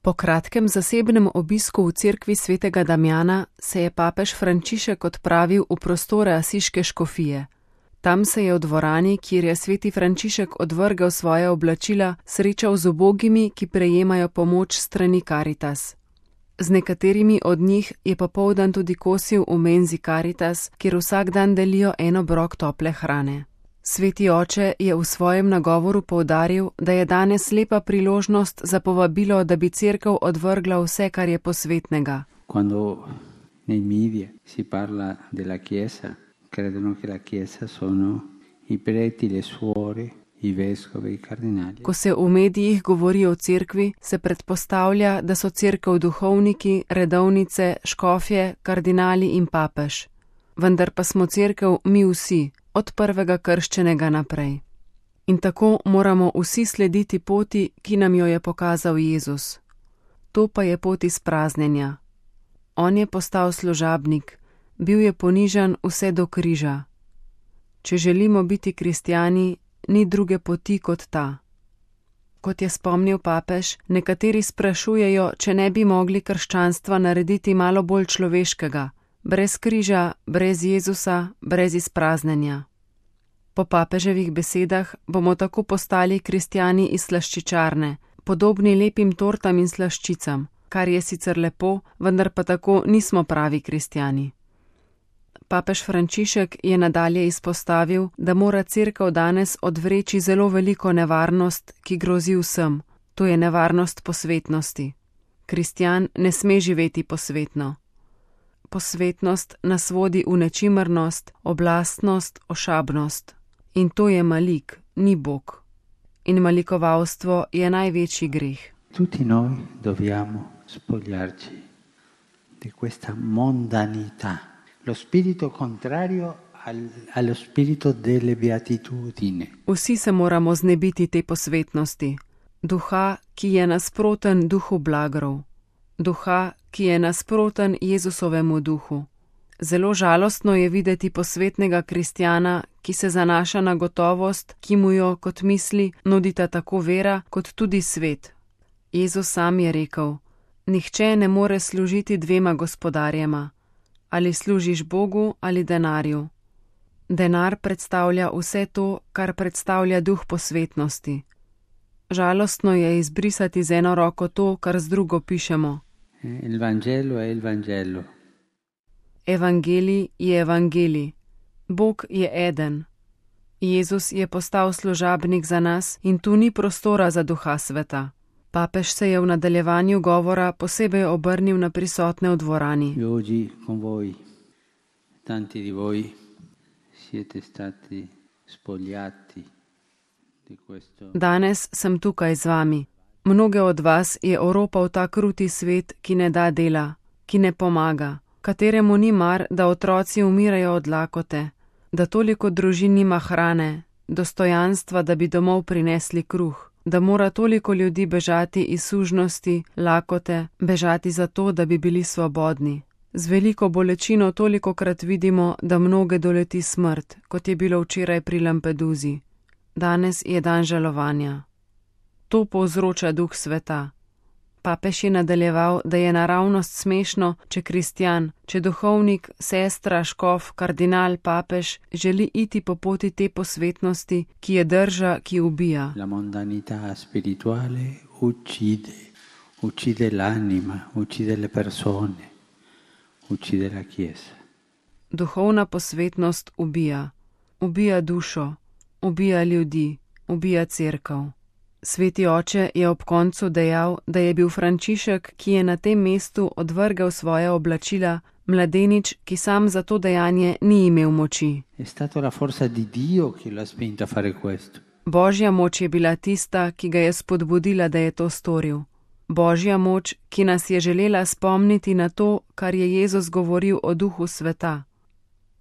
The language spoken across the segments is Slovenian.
Po kratkem zasebnem obisku v cerkvi svetega Damjana se je papež Frančišek odpravil v prostore asiške škofije. Tam se je v dvorani, kjer je sveti Frančišek odvrgel svoje oblačila, srečal z ubogimi, ki prejemajo pomoč strani Caritas. Z nekaterimi od njih je popoldan tudi kosil v menzi Caritas, kjer vsak dan delijo en obrok tople hrane. Sveti oče je v svojem nagovoru poudaril, da je danes lepa priložnost za povabilo, da bi cerkev odvrgla vse, kar je posvetnega. Quando nei media si parla della Chiesa, credono che la Chiesa sono i preti, le suore, i vescovi, i cardinali. Ko se v medijih govori o cerkvi, se predpostavlja, da so cerkev duhovniki, redovnice, škofje, kardinali in papež. Vendar pa smo cerkev mi vsi, od prvega krščenega naprej. In tako moramo vsi slediti poti, ki nam jo je pokazal Jezus. To pa je pot izpraznjenja. On je postal služabnik, bil je ponižan vse do križa. Če želimo biti kristjani, ni druge poti kot ta. Kot je spomnil papež, nekateri sprašujejo, če ne bi mogli krščanstva narediti malo bolj človeškega, brez križa, brez Jezusa, brez izpraznjenja. Po papeževih besedah bomo tako postali kristjani iz slaščičarne, podobni lepim tortam in slaščicam, kar je sicer lepo, vendar pa tako nismo pravi kristjani. Papež Frančišek je nadalje izpostavil, da mora cerkev danes odvreči zelo veliko nevarnost, ki grozi vsem, to je nevarnost posvetnosti. Kristjan ne sme živeti posvetno. Posvetnost nas vodi v nečimrnost, oblastnost, ošabnost. In to je malik, ni Bog. In malikovalstvo je največji greh. Tutti noi dobbiamo spogliarci di questa mondanità, lo spirito contrario allo spirito delle beatitudini. Vsi se moramo znebiti te posvetnosti, duha, ki je nasproten duhu blagrov, duha, ki je nasproten Jezusovemu duhu. Zelo žalostno je videti posvetnega kristjana, ki se zanaša na gotovost, ki mu jo, kot misli, nudita tako vera, kot tudi svet. Jezus sam je rekel: nihče ne more služiti dvema gospodarjema. Ali služiš Bogu ali denarju. Denar predstavlja vse to, kar predstavlja duh posvetnosti. Žalostno je izbrisati z eno roko to, kar z drugo pišemo. Il Vangelo è il Vangelo. Evangelij je evangelij. Bog je eden. Jezus je postal služabnik za nas in tu ni prostora za duha sveta. Papež se je v nadaljevanju govora posebej obrnil na prisotne v dvorani. Oggi con voi, tanti di voi siete stati spogliati di questo. Danes sem tukaj z vami. Mnoge od vas je oropal ta kruti svet, ki ne da dela, ki ne pomaga, kateremu ni mar, da otroci umirajo od lakote, da toliko družin nima hrane, dostojanstva, da bi domov prinesli kruh, da mora toliko ljudi bežati iz sužnosti, lakote, bežati zato, da bi bili svobodni. Z veliko bolečino tolikokrat vidimo, da mnoge doleti smrt, kot je bilo včeraj pri Lampeduzi. Danes je dan žalovanja. To povzroča duh sveta. Papež je nadaljeval, da je naravnost smešno, če kristjan, če duhovnik, sestra, škof, kardinal, papež želi iti po poti te posvetnosti, ki je drža, ki ubija. La mondanità spirituale uccide l'anima, uccide le persone, uccide la Chiesa. Duhovna posvetnost ubija. Ubija dušo, ubija ljudi, ubija cerkev. Sveti oče je ob koncu dejal, da je bil Frančišek, ki je na tem mestu odvrgel svoja oblačila, mladenič, ki sam za to dejanje ni imel moči. È stata la forza di Dio che l'ha spinto a fare questo. Božja moč je bila tista, ki ga je spodbudila, da je to storil. Božja moč, ki nas je želela spomniti na to, kar je Jezus govoril o duhu sveta.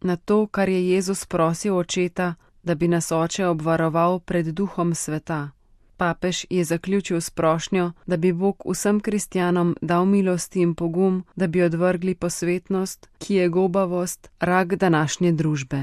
Na to, kar je Jezus prosil očeta, da bi nas oče obvaroval pred duhom sveta. Papež je zaključil s prošnjo, da bi Bog vsem kristjanom dal milosti in pogum, da bi odvrgli posvetnost, ki je gobavost, rak današnje družbe.